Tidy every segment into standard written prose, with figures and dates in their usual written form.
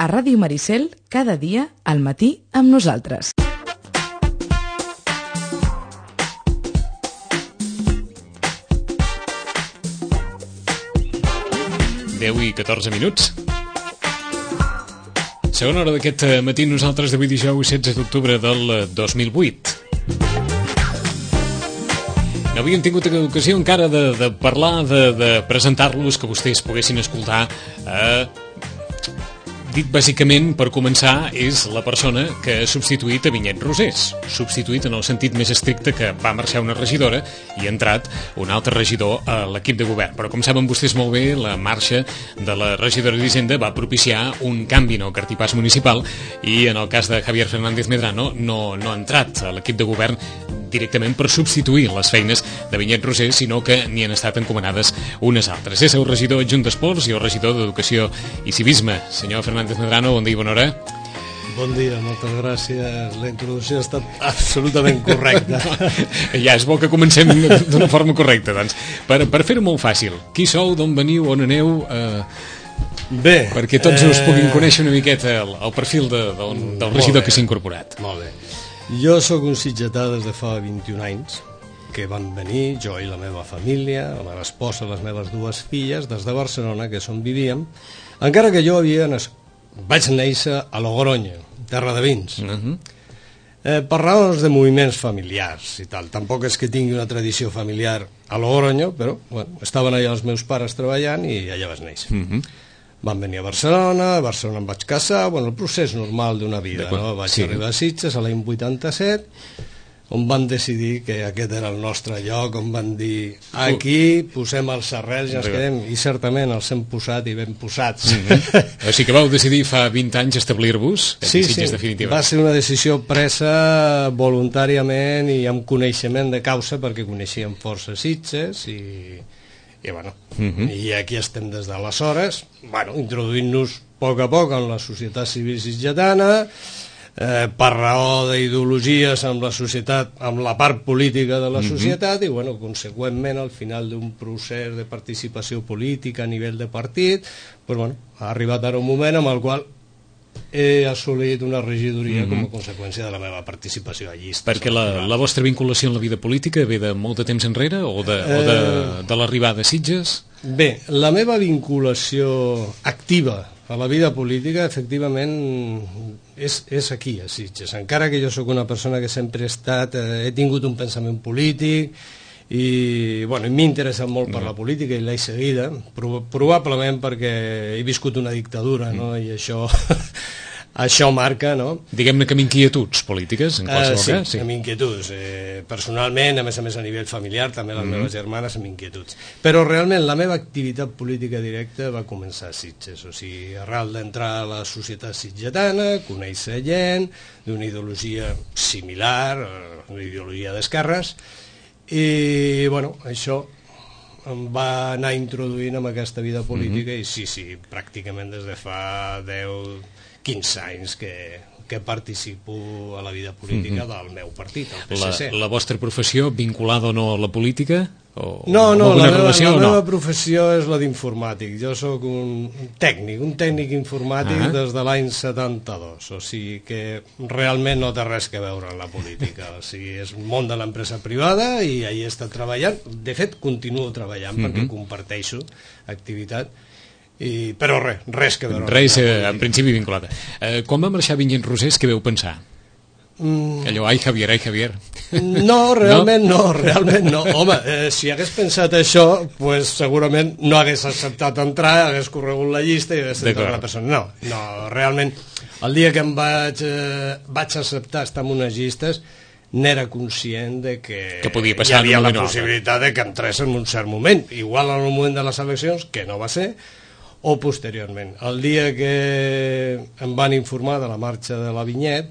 a Ràdio Maricel cada dia al matí amb nosaltres. I 14 minuts. Segona hora d'aquest matí nosaltres d'avui dijous 16 d'octubre del 2008. No havíem tingut ocasió encara de parlar, de presentar-los, que vostès poguessin escoltar. Dit bàsicament, per començar, és la persona que ha substituït a Vinyet Rosés. Substituït en el sentit més estricte, que va marxar una regidora i ha entrat un altre regidor a l'equip de govern. Però com saben vostès molt bé, la marxa de la regidora d'Hisenda va propiciar un canvi en el cartipàs municipal i en el cas de Javier Fernández Medrano no ha entrat a l'equip de govern directament per substituir les feines de Vinyet Rosés, sinó que n'hi han estat encomanades unes altres. És el regidor adjunt d'Esports i el regidor d'Educació i Civisme. Senyor Fernández Medrano, bon dia i bona hora. Bon dia, moltes gràcies. La introducció ha estat absolutament correcta. Ja, és bo que comencem d'una forma correcta, doncs. Per fer-ho molt fàcil, qui sou, d'on veniu, on aneu... Bé... Perquè tots us puguin conèixer una miqueta el perfil del regidor que s'ha incorporat. Molt bé. Jo sóc un sitgetà des de fa 21 anys, que van venir, jo i la meva família, la meva esposa, les meves dues filles, des de Barcelona, que és on vivíem, encara que jo vaig néixer a Logroño, terra de vins. Per raons de moviments familiars i tal. Tampoc és que tingui una tradició familiar a Logroño, però bueno, estaven allà els meus pares treballant i allà vaig néixer. Van venir a Barcelona em vaig casar, bueno, el procés normal d'una vida, no? Vaig arribar a Sitges a l'any 87, on van decidir que aquest era el nostre lloc, on van dir, aquí posem els arrels i ens quedem, i certament els hem posat i ben posats. O sigui que vau decidir fa 20 anys establir-vos a Sitges, definitivament. Va ser una decisió presa voluntàriament i amb coneixement de causa, perquè coneixíem força Sitges i bueno, i aquí estem des d'aleshores, bueno, introduint-nos a poc en la societat civil sitgetana, per raó d'ideologies amb la societat, amb la part política de la societat, i bueno, conseqüentment al final d'un procés de participació política a nivell de partit, pues, bueno, ha arribat ara un moment amb el qual he assolit una regidoria com a conseqüència de la meva participació a llistes. Perquè la vostra vinculació en la vida política ve de molt de temps enrere o de l'arribada a Sitges? Bé, la meva vinculació activa a la vida política efectivament és aquí a Sitges, encara que jo sóc una persona que sempre he tingut un pensament polític i bueno, m'he interessat molt per la política i l'he seguida, probablement perquè he viscut una dictadura, no? I això marca, no? Diguem-ne que amb inquietuds polítiques, en qualsevol cas. Sí, amb inquietuds. Personalment, a més a nivell familiar, també les meves germanes amb inquietuds. Però realment la meva activitat política directa va començar a Sitges, o sigui, arrel d'entrar a la societat sitgetana, conèixer gent d'una ideologia similar, una ideologia d'esquerres, i bueno, això em va anar introduint en aquesta vida política i sí, pràcticament des de fa 10-15 anys que participo a la vida política del meu partit, el PSC. La vostra professió, vinculada o no a la política? No, la meva professió és la d'informàtic. Jo sóc un tècnic informàtic des de l'any 72, o sigui que realment no té res que veure amb la política. O sigui, és un món de l'empresa privada i ahí he estat treballant. De fet, continuo treballant perquè comparteixo activitat, però res que veure. Res, en principi, vinculada. Quan va marxar Vinyet Rosés, què veu pensar? Allò, ai Javier. No, realment no. Home, si hagués pensat això, pues segurament no hagués acceptat entrar, hagués corregut la llista i hagués entrat la persona. No, realment, el dia que em vaig acceptar estar en unes llistes, n'era conscient de que hi havia la possibilitat de que entrés en un cert moment, igual en el moment de les eleccions, que no va ser, o posteriorment. El dia que em van informar de la marxa de la Vinyet,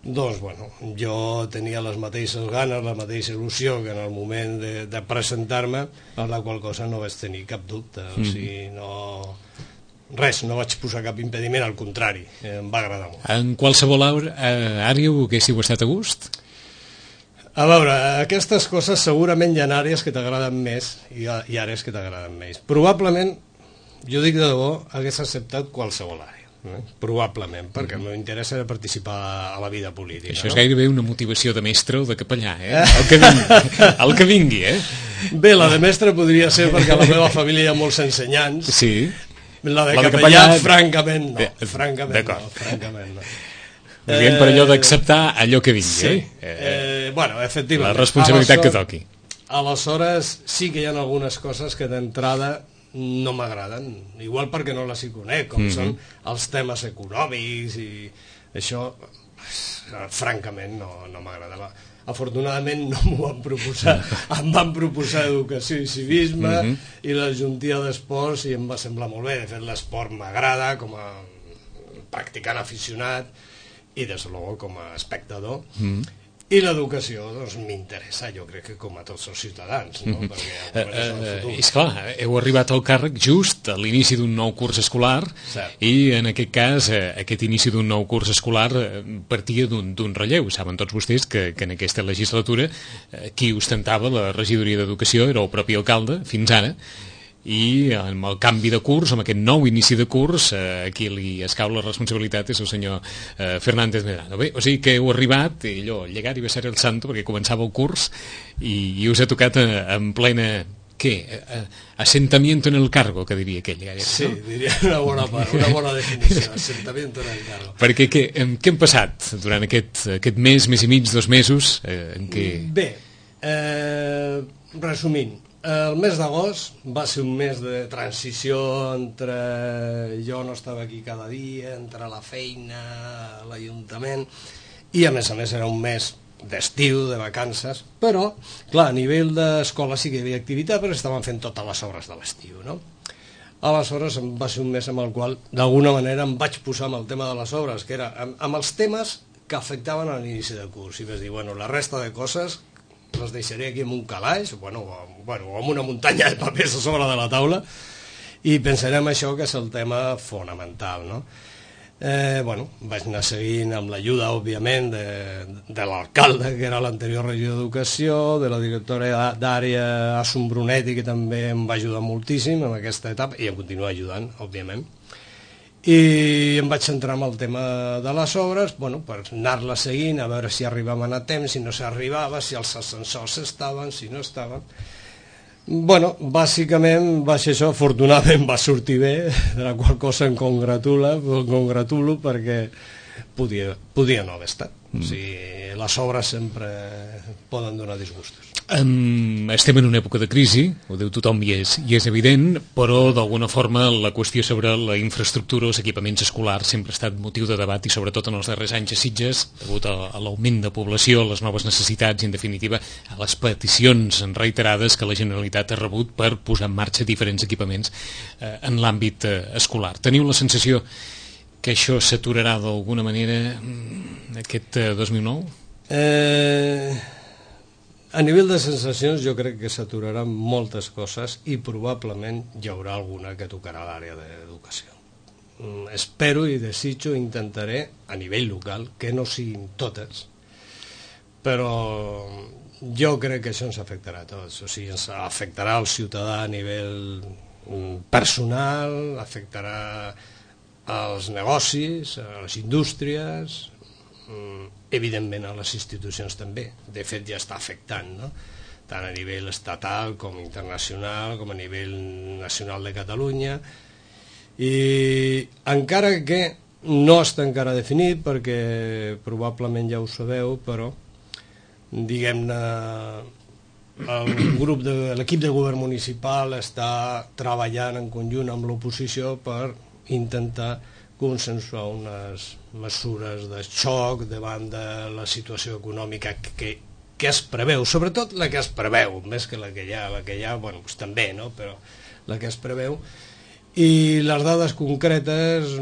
doncs, bueno, jo tenia les mateixes ganes, la mateixa il·lusió que en el moment de presentar-me, a la qual cosa no vaig tenir cap dubte, o sigui, no vaig posar cap impediment, al contrari, em va agradar molt. En qualsevol àrea ho haguéssiu estat a gust? A veure, aquestes coses segurament hi ha àrees que t'agraden més i àrees que t'agraden més. Probablement, jo dic de debò, hagués acceptat qualsevol àrea. probablement, perquè el meu interès era participar a la vida política. Això és gairebé una motivació de mestre o de capellà, el que vingui, Bé, la de mestre podria ser perquè a la meva família hi ha molts ensenyants. Sí. La de capellà, francament no. Francament no. Dient per allò d'acceptar allò que vingui, sí. Bueno, efectivament. La responsabilitat que toqui. Aleshores, sí que hi ha algunes coses que d'entrada no m'agraden, igual perquè no les hi conec, com són els temes econòmics i això, francament, no m'agradava. Afortunadament no m'ho van proposar, em van proposar educació i civisme i la juntia d'esports i em va semblar molt bé. De fet, l'esport m'agrada com a practicant aficionat i des de luego com a espectador. I l'educació, doncs, m'interessa, jo crec que com a tots els ciutadans, no? Perquè és clar, heu arribat al càrrec just a l'inici d'un nou curs escolar i en aquest cas aquest inici d'un nou curs escolar partia d'un relleu. Saben tots vostès que en aquesta legislatura qui ostentava la regidoria d'Educació era el propi alcalde, fins ara, i amb el canvi de curs, amb aquest nou inici de curs, qui li escau la responsabilitat és el senyor Fernández Medrano. Bé, o sigui que heu arribat, i allò, llegar i besar el santo, perquè començava el curs, i us ha tocat en plena, què? Assentamiento en el cargo, que diria aquell. Sí, diria una bona part, una bona definició, assentamiento en el cargo. Perquè què hem passat durant aquest mes i mig, 2 mesos, en què... Bé, resumint, el mes d'agost va ser un mes de transició entre jo no estava aquí cada dia, entre la feina, l'Ajuntament, i a més era un mes d'estiu, de vacances, però, clar, a nivell d'escola sí que hi havia activitat, però estaven fent totes les obres de l'estiu, no? Aleshores va ser un mes amb el qual, d'alguna manera, em vaig posar amb el tema de les obres, que era amb els temes que afectaven a l'inici de curs, i vaig dir, bueno, la resta de coses les deixaré aquí en un calaix, o amb una muntanya de papers a sobre de la taula, i pensarem això que és el tema fonamental, no? Vaig anar seguint amb l'ajuda, òbviament, de l'alcalde, que era l'anterior regidor d'Educació, de la directora d'àrea, Assun Brunetti, que també em va ajudar moltíssim en aquesta etapa, i em continua ajudant, òbviament. I em vaig centrar en el tema de les obres, per anar-la seguint, a veure si arribaven a temps, si no s'arribava, si els ascensors estaven, si no estaven. Bàsicament va ser això, afortunadament va sortir bé, de la qual cosa em congratulo perquè podia no haver estat. O sigui, les obres sempre poden donar disgustos. Estem en una època de crisi, ho diu tothom i és evident, però d'alguna forma la qüestió sobre la infraestructura, els equipaments escolars, sempre ha estat motiu de debat i sobretot en els darrers anys a Sitges, degut a l'augment de població, a les noves necessitats i en definitiva a les peticions reiterades que la Generalitat ha rebut per posar en marxa diferents equipaments en l'àmbit escolar. Teniu la sensació que això s'aturarà d'alguna manera aquest 2009? A nivell de sensacions jo crec que s'aturaran moltes coses i probablement hi haurà alguna que tocarà l'àrea d'educació. Espero i desitjo, intentaré a nivell local, que no siguin totes, però jo crec que això ens afectarà a tots, o sigui, ens afectarà al ciutadà a nivell personal, afectarà als negocis, a les indústries, evidentment a les institucions també, de fet ja està afectant, no? Tant a nivell estatal com internacional, com a nivell nacional de Catalunya, i encara que no està encara definit, perquè probablement ja ho sabeu, però diguem-ne l'equip de govern municipal està treballant en conjunt amb l'oposició per intentar consensuar unes mesures de xoc davant de la situació econòmica que es preveu, sobretot la que es preveu, més que la que hi ha, doncs també, no? Però la que es preveu, i les dades concretes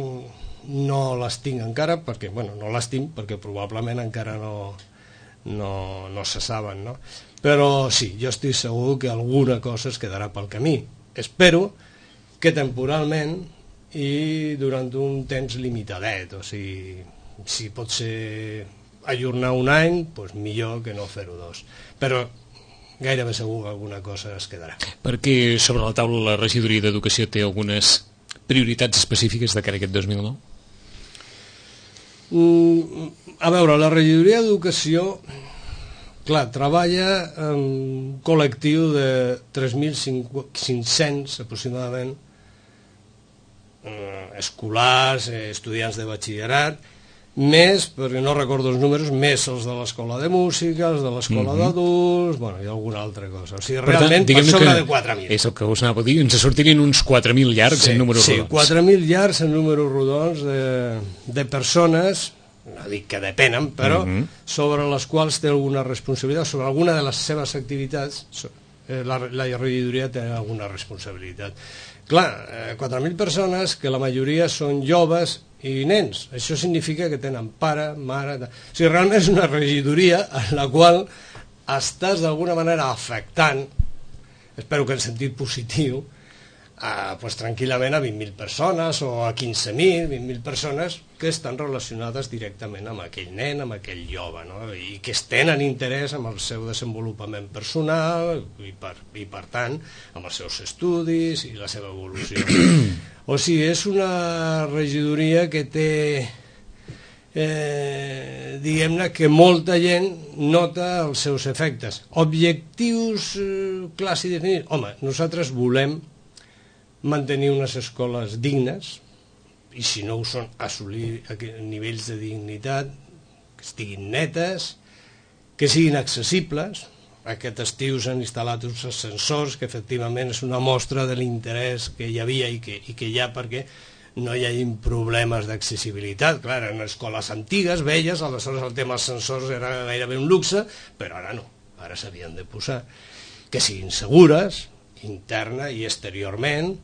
no les tinc encara, perquè, no les tinc perquè probablement encara no se saben, no? Però sí, jo estic segur que alguna cosa es quedarà pel camí. Espero que temporalment i durant un temps limitadet, o sigui, si pot ser ajornar un any, doncs millor que no fer-ho 2, però gairebé segur que alguna cosa es quedarà. Perquè sobre la taula la regidoria d'Educació té algunes prioritats específiques de cara a aquest 2009? A veure, la regidoria d'Educació, clar, treballa en un col·lectiu de 3.500 aproximadament, escolars, estudiants de batxillerat, més, perquè no recordo els números, més els de l'escola de música, els de l'escola d'adults, bueno, i alguna altra cosa. O sigui, realment, per sobre de 4.000. És el que us anava a dir, ens sortirien uns 4.000 llargs en números rodons. Sí, 4.000 llargs en números rodons de persones, no dic que depenen, però sobre les quals té alguna responsabilitat, sobre alguna de les seves activitats, la regidoria té alguna responsabilitat. Clar, 4.000 persones, que la majoria són joves i nens. Això significa que tenen pare, mare... O sigui, realment és una regidoria en la qual estàs d'alguna manera afectant, espero que en sentit positiu, pues, tranquil·lament a 20.000 persones o a 15.000, 20.000 persones que estan relacionades directament amb aquell nen, amb aquell jove, no? I que tenen interès en el seu desenvolupament personal i per tant amb els seus estudis i la seva evolució. O sigui, és una regidoria que té, diguem-ne, que molta gent nota els seus efectes. Objectius clars i definits? Home, nosaltres volem mantenir unes escoles dignes, i si no ho són, assolir nivells de dignitat, que estiguin netes, que siguin accessibles. Aquest estiu s'han instal·lat uns ascensors, que efectivament és una mostra de l'interès que hi havia i que hi ha perquè no hi hagi problemes d'accessibilitat. Clar, eren escoles antigues, velles, aleshores el tema ascensors era gairebé un luxe, però ara no, ara s'havien de posar. Que siguin segures, interna i exteriorment.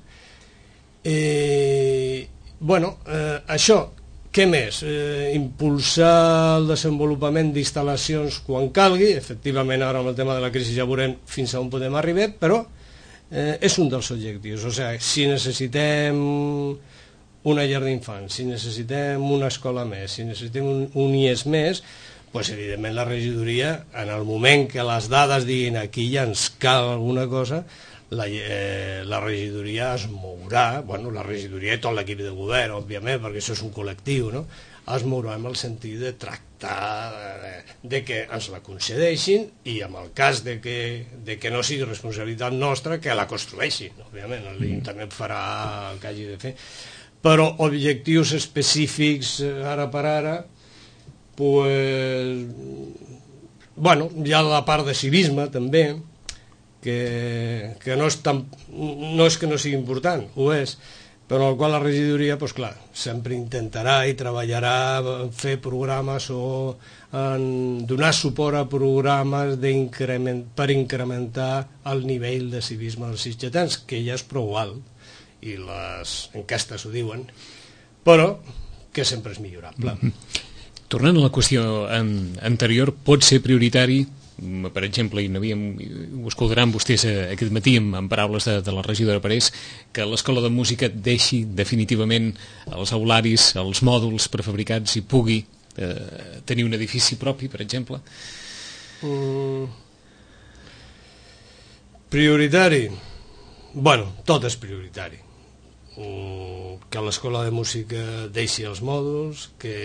Això, què més? Impulsar el desenvolupament d'instal·lacions quan calgui. Efectivament, ara amb el tema de la crisi ja veurem fins on podem arribar, però és un dels objectius. O sigui, si necessitem una llar d'infants, si necessitem una escola més, si necessitem un IES més, doncs evidentment la regidoria, en el moment que les dades diguin aquí ja ens cal alguna cosa, la regidoria es mourà, bueno, la regidoria i tot l'equip de govern, òbviament, perquè això és un col·lectiu, no? Es mourà en el sentit de tractar de que ens la concedeixin i en el cas de que no sigui responsabilitat nostra, que la construeixin, òbviament, l'Internet farà el que hagi de fer, però objectius específics ara per ara, pues, bueno, hi ha la part de civisme també, que no és que no sigui important, ho és, però el qual la regidoria, doncs clar, sempre intentarà i treballarà en fer programes o en donar suport a programes per incrementar el nivell de civisme dels sitgetans, que ja és prou alt, i les enquestes ho diuen, però que sempre és millorable. Tornant a la qüestió anterior, pot ser prioritari, per exemple, ho escoltaran vostès aquest matí en paraules de la regidora Parés, que l'escola de música deixi definitivament els aularis, els mòduls prefabricats i pugui tenir un edifici propi, per exemple? Prioritari? Bueno, tot és prioritari. Que l'escola de música deixi els mòduls, que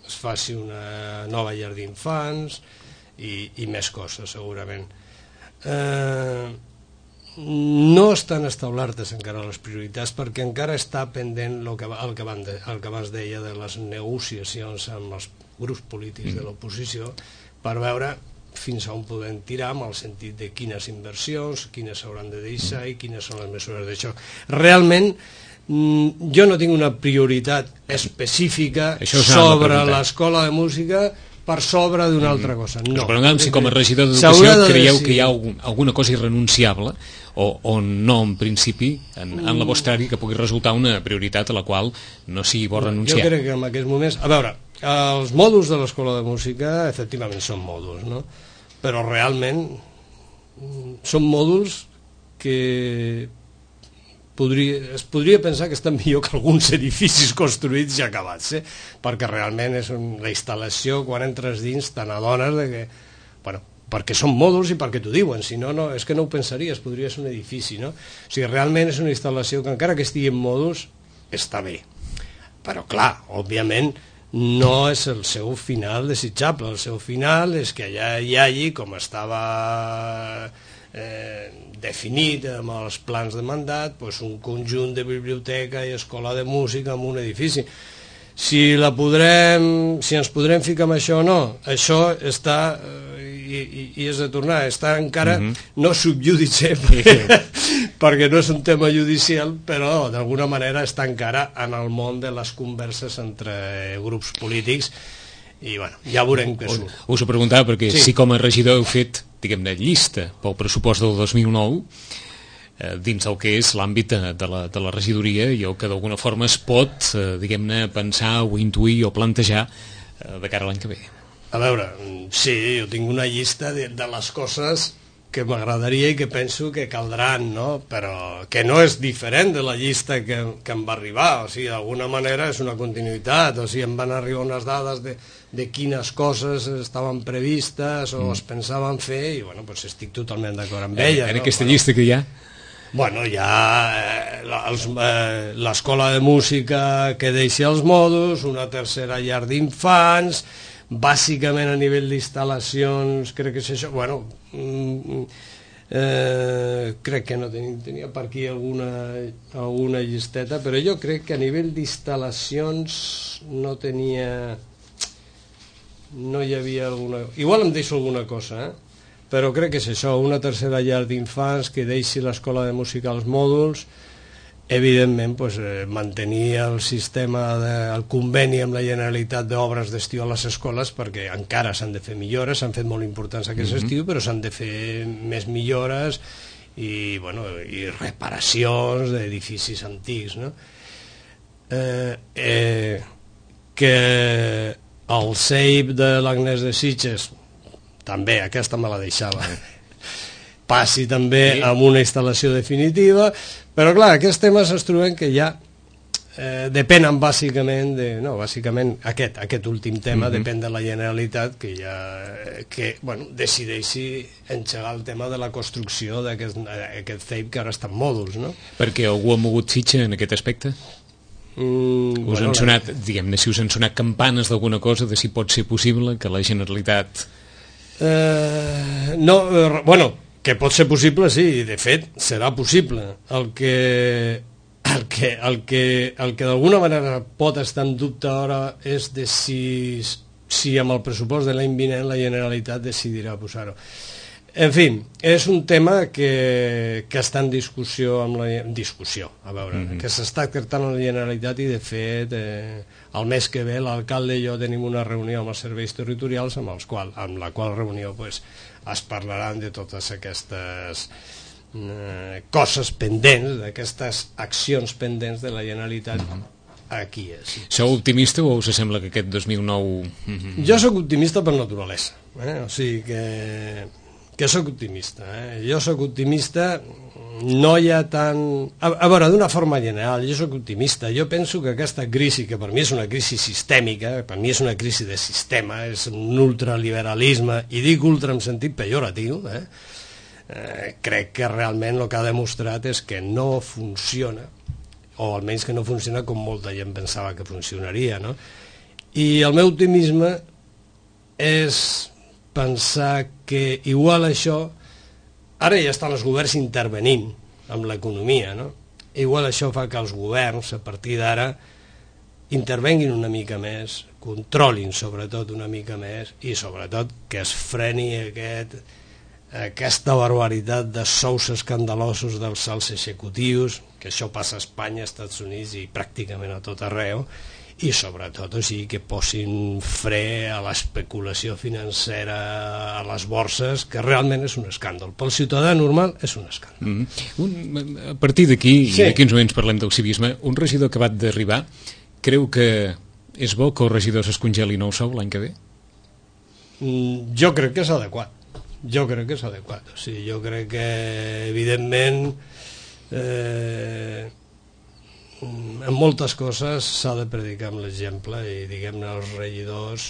es faci una nova llar d'infants i més coses, segurament. No estan establertes encara les prioritats perquè encara està pendent el que abans deia de les negociacions amb els grups polítics de l'oposició per veure fins on podem tirar amb el sentit de quines inversions, quines s'hauran de deixar i quines són les mesures d'això. Realment, jo no tinc una prioritat específica sobre l'escola de música per sobre d'una altra cosa. No. Però si com a regidor d'Educació creieu que hi ha alguna cosa irrenunciable o no, en principi, en la vostra àrea, que pugui resultar una prioritat a la qual no sigui bo renunciar. Jo crec que en aquests moments... A veure, els mòduls de l'escola de música efectivament són mòduls, no? Però realment són mòduls que es podria pensar que estan millor que alguns edificis construïts ja acabats, perquè realment és la instal·lació, quan entres dins te n'adones que, bueno, perquè són mòduls i perquè t'ho diuen, si no, és que no ho pensaries, podria ser un edifici, no? O sigui, realment és una instal·lació que encara que estigui en mòduls està bé, però clar, òbviament no és el seu final desitjable. El seu final és que allà hi hagi, com estava definit amb els plans de mandat, un conjunt de biblioteca i escola de música en un edifici. Si ens podrem ficar amb això o no, això està, i és de tornar, està encara no subjudice, perquè no és un tema judicial, però d'alguna manera està encara en el món de les converses entre grups polítics, i bueno, ja veurem què surt. Us ho preguntava perquè si com a regidor heu fet, diguem-ne, llista pel pressupost del 2009, dins el que és l'àmbit de la regidoria, i el que d'alguna forma es pot, diguem-ne, pensar o intuir o plantejar de cara a l'any que ve. A veure, sí, jo tinc una llista de les coses que m'agradaria i que penso que caldran, no? Però que no és diferent de la llista que em va arribar, o sigui, d'alguna manera és una continuïtat, o sigui, em van arribar unes dades de quines coses estaven previstes o es pensaven fer, i bueno, doncs estic totalment d'acord amb elles. En aquesta llista que hi ha? Bueno, hi ha l'escola de música que deixi els mòduls, una tercera llar d'infants, bàsicament a nivell d'instal·lacions, crec que és això, bueno, crec que no tenia per aquí alguna llisteta, però jo crec que a nivell d'instal·lacions no hi havia alguna... Igual em deixo alguna cosa, però crec que és això, una tercera llar d'infants que deixi l'escola de música als mòduls, evidentment mantenir el sistema, el conveni amb la Generalitat d'obres d'estiu a les escoles, perquè encara s'han de fer millores, s'han fet molt importants aquest estiu, però s'han de fer més millores i reparacions d'edificis antics, no? Que el CEIP de l'Agnès de Sitges, també, aquesta me la deixava, passi també amb una instal·lació definitiva, però clar, aquests temes es troben que ja depenen bàsicament aquest últim tema depèn de la Generalitat que decideixi engegar el tema de la construcció d'aquest CEIP que ara està en mòduls, no? Perquè algú ha mogut fitxa en aquest aspecte? Us han sonat, diguem-ne, si us han sonat campanes d'alguna cosa de si pot ser possible que la Generalitat... que pot ser possible, sí, de fet serà possible. El que d'alguna manera pot estar en dubte ara és de si amb el pressupost de l'any vinent la Generalitat decidirà posar-ho. En fi, és un tema que està en discussió, que s'està tractant amb la Generalitat, i de fet el mes que ve l'alcalde i jo tenim una reunió amb els serveis territorials amb la qual reunió es parlaran de totes aquestes coses pendents, d'aquestes accions pendents de la Generalitat aquí. Sou optimista o us sembla que aquest 2009... Jo sóc optimista per naturalesa, o sigui que sóc optimista. Jo sóc optimista, no hi ha tant... A veure, d'una forma general, jo sóc optimista. Jo penso que aquesta crisi, que per mi és una crisi sistèmica, per mi és una crisi de sistema, és un ultraliberalisme, i dic ultra en sentit pejoratiu, crec que realment el que ha demostrat és que no funciona, o almenys que no funciona com molta gent pensava que funcionaria, no? I el meu optimisme és pensar que igual això, ara ja estan els governs intervenint amb l'economia, no? Igual això fa que els governs a partir d'ara intervenguin una mica més, controlin sobretot una mica més, i sobretot que es freni aquesta barbaritat de sous escandalosos dels alts executius, que això passa a Espanya, als Estats Units i pràcticament a tot arreu, i sobretot, o sigui, que posin fre a l'especulació financera a les borses, que realment és un escàndol. Pel ciutadà normal és un escàndol. A partir d'aquí, i d'aquí uns moments parlem del civisme, un regidor acabat d'arribar creu que és bo que els regidors es congelin el sou l'any que ve? Jo crec que és adequat. O sigui, jo crec que, evidentment, en moltes coses s'ha de predicar amb l'exemple, i diguem-ne els regidors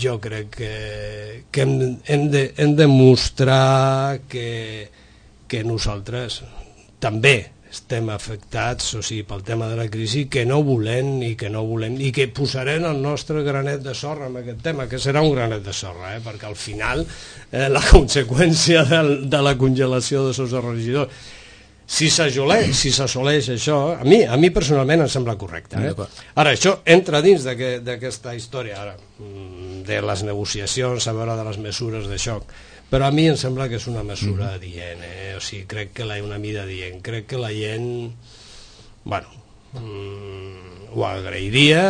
jo crec que hem de mostrar que nosaltres també estem afectats, o sigui, pel tema de la crisi, que no volem i que posarem el nostre granet de sorra en aquest tema, que serà un granet de sorra, perquè al final la conseqüència de la congelació de sous de regidors, si s'assoleix això, a mi personalment em sembla correcte. Ara, això entra dins d'aquesta història ara, de les negociacions, a veure de les mesures de xoc, però a mi em sembla que és una mesura adient, o sigui, crec que una mida adient, crec que la gent, bueno, ho agrairia,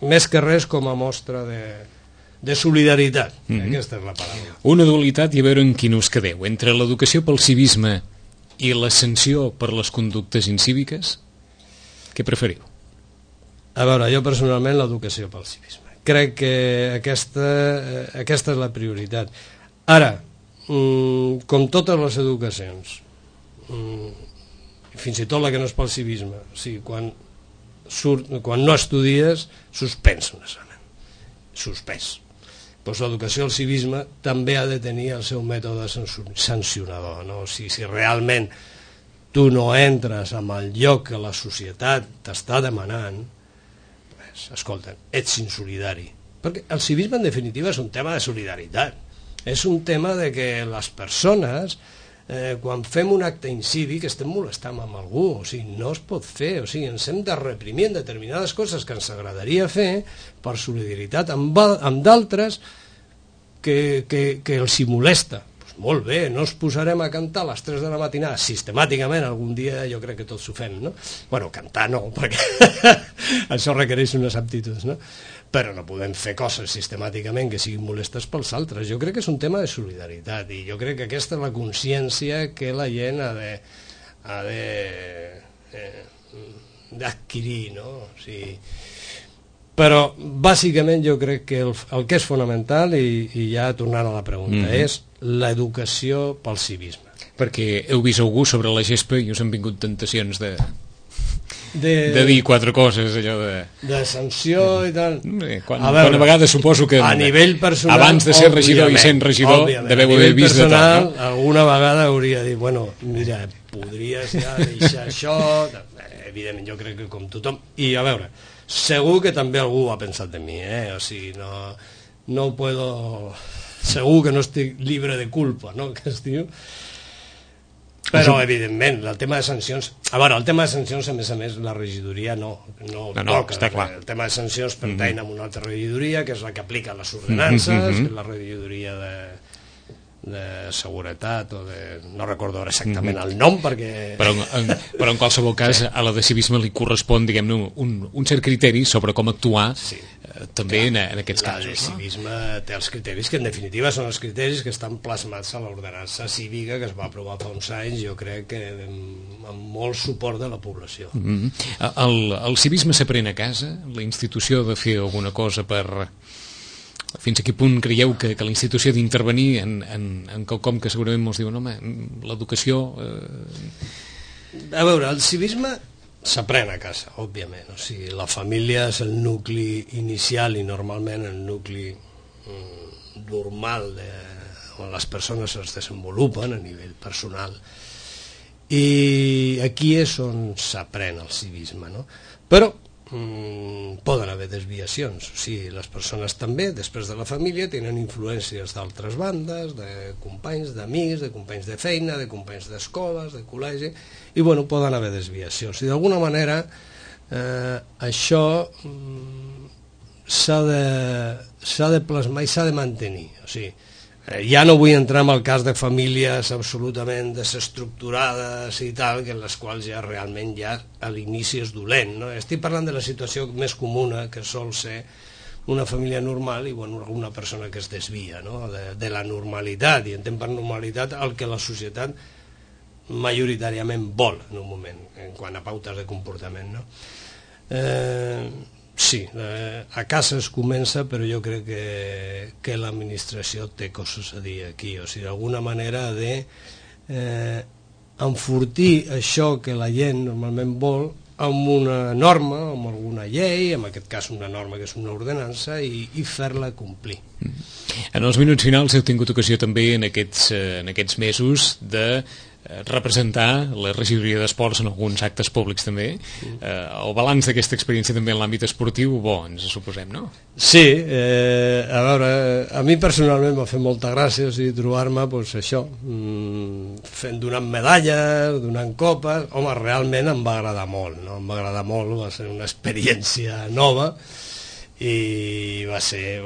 més que res com a mostra de solidaritat, aquesta és la paraula. Una dualitat, i a veure en quin us quedeu, entre l'educació pel civisme i la sanció per les conductes incíviques, què preferiu? A veure, jo personalment l'educació pel civisme. Crec que aquesta és la prioritat. Ara, com totes les educacions, fins i tot la que no és pel civisme, o sigui, quan no estudies, suspens un examen. Suspès. Doncs l'educació al civisme també ha de tenir el seu mètode sancionador, no? O sigui, si realment tu no entres en el lloc que la societat t'està demanant, pues, escolta, ets insolidari. Perquè el civisme, en definitiva, és un tema de solidaritat. És un tema de que les persones, quan fem un acte incívic, estem molestant amb algú, o sigui, no es pot fer, o sigui, ens hem de reprimir en determinades coses que ens agradaria fer per solidaritat amb d'altres que els hi molesta. Pues molt bé, no ens posarem a cantar a les 3 de la matinada sistemàticament, algun dia jo crec que tots ho fem, no? Bueno, cantar no, perquè això requereix unes aptituds, no? Però no podem fer coses sistemàticament que siguin molestes pels altres. Jo crec que és un tema de solidaritat i jo crec que aquesta és la consciència que la gent ha d'adquirir, no? O sigui, però bàsicament jo crec que el que és fonamental, i ja tornant a la pregunta, és l'educació pel civisme. Perquè heu vist algú sobre la gespa i us han vingut tentacions de dir 4 coses, allò de sanció i tal. Quan a vegades suposo que a nivell personal, abans de ser regidor i sent regidor deveu haver vist de tot, no? Alguna vegada hauria dit, bueno, mira, podries ja deixar això, evidentment jo crec que com tothom, i a veure, segur que també algú ha pensat de mi, o sigui, no puedo, segur que no estic libre de culpa, no?, que es diu. Però, evidentment, el tema de sancions... A veure, el tema de sancions, a més, la regidoria no toca. Està clar. El tema de sancions pertany a una altra regidoria, que és la que aplica les ordenances, que és la regidoria de seguretat, o de... no recordo exactament el nom, perquè... Però en qualsevol cas, a la de civisme li correspon, diguem-ne, un cert criteri sobre com actuar també en aquests casos. El civisme té els criteris que en definitiva són els criteris que estan plasmats a l'ordenança cívica que es va aprovar fa uns anys, jo crec que amb molt suport de la població. El civisme s'aprèn a casa? La institució ha de fer alguna cosa per... Fins a quin punt creieu que la institució ha d'intervenir en quelcom que segurament molts diuen, home, l'educació... A veure, el civisme s'aprèn a casa, òbviament. O sigui, la família és el nucli inicial i normalment el nucli normal on les persones es desenvolupen a nivell personal. I aquí és on s'aprèn el civisme, no? Però poden haver desviacions, o sigui, les persones també, després de la família, tenen influències d'altres bandes, de companys, d'amics, de companys de feina, de companys d'escoles, de col·legi, i bueno, poden haver desviacions. I d'alguna manera això s'ha de plasmar i s'ha de mantenir, o sigui, ja no vull entrar en el cas de famílies absolutament desestructurades i tal, que en les quals ja realment ja a l'inici és dolent, no? Estic parlant de la situació més comuna, que sol ser una família normal i bueno, una persona que es desvia, no?, de la normalitat, i entenc per normalitat el que la societat majoritàriament vol en un moment, en quant a pautes de comportament, no? Sí, a casa es comença, però jo crec que l'administració té coses a dir aquí, o sigui, d'alguna manera ha d'enfortir això que la gent normalment vol amb una norma, amb alguna llei, en aquest cas una norma que és una ordenança, i fer-la complir. En els minuts finals heu tingut ocasió també en aquests mesos de representar la regidoria d'esports en alguns actes públics també. El balanç d'aquesta experiència també en l'àmbit esportiu, bo, ens suposem, no? Sí, a veure, a mi personalment m'ha fet molta gràcia, o sigui, trobar-me, doncs això, donant medalles, donant copes. Home, realment em va agradar molt, no? Em va agradar molt, va ser una experiència nova i va ser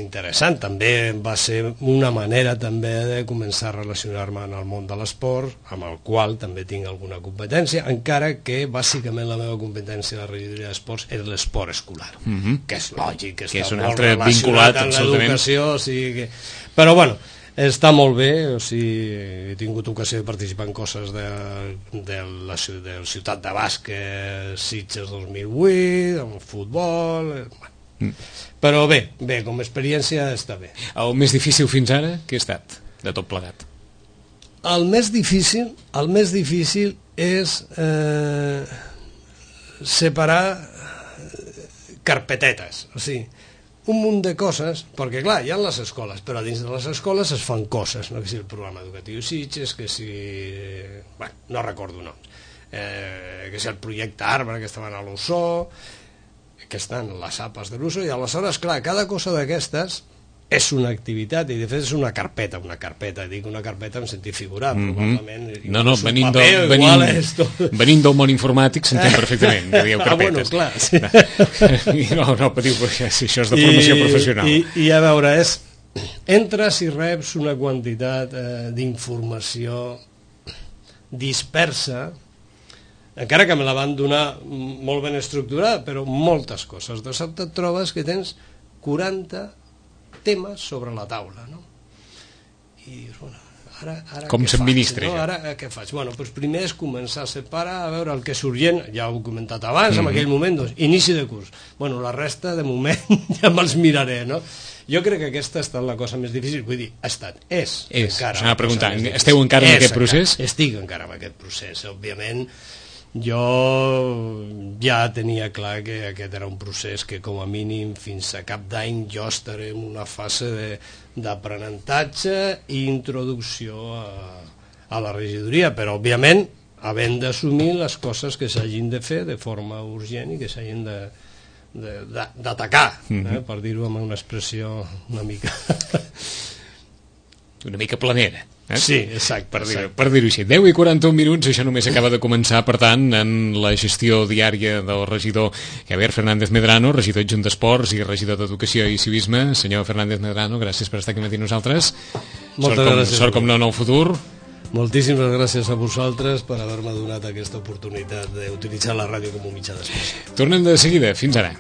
interessant. També va ser una manera també de començar a relacionar-me en el món de l'esport, amb el qual també tinc alguna competència, encara que bàsicament la meva competència a la regidoria d'esports és l'esport escolar, que és lògic, que està molt relacionat amb l'educació, o sigui que... Però bueno, està molt bé, o sigui, he tingut ocasió de participar en coses de la ciutat de bàsquet Sitges 2008, en futbol... Però bé, com a experiència està bé. El més difícil fins ara, què ha estat, de tot plegat? El més difícil és separar carpetetes, o sigui, un munt de coses, perquè clar, hi ha les escoles, però dins de les escoles es fan coses, no? Que si el programa educatiu Sitges, que si... bueno, no recordo noms, que si el projecte Arbre, que estaven a l'Ossó, que estan les APAs de l'USO, i aleshores, clar, cada cosa d'aquestes és una activitat, i de fet és una carpeta, dic una carpeta en sentit figurat, probablement... No, venint del món informàtic s'entén perfectament, que dieu carpetes. Bueno, clar, sí. No, patiu, perquè això és de formació professional. I a veure, entres i reps una quantitat d'informació dispersa, encara que me la van donar molt ben estructurada, però moltes coses. De sobte et trobes que tens 40 temes sobre la taula, no? I dius, bueno, ara com s'administra, no? Ara què faig? Bueno, doncs primer és començar a separar, a veure el que és urgent, ja ho he comentat abans, en aquell moment, doncs, inici de curs. Bueno, la resta, de moment, ja me'ls miraré, no? Jo crec que aquesta ha estat la cosa més difícil, vull dir, encara. Esteu encara en aquest procés? Estic encara en aquest procés, òbviament. Jo ja tenia clar que aquest era un procés que com a mínim fins a cap d'any jo estaré en una fase d'aprenentatge i introducció a la regidoria, però òbviament havent d'assumir les coses que s'hagin de fer de forma urgent i que s'hagin d'atacar, per dir-ho amb una expressió una mica planera. Sí, exacte. Per dir-ho així. 10:41, això només acaba de començar, per tant, en la gestió diària del regidor Javier Fernández Medrano, regidor adjunt d'Esports i regidor d'Educació i Civisme. Senyor Fernández Medrano, gràcies per estar aquí amb nosaltres. Moltes gràcies. Sort com no en el futur. Moltíssimes gràcies a vosaltres per haver-me donat aquesta oportunitat d'utilitzar la ràdio com un mitjà d'expressió. Tornem de seguida. Fins ara.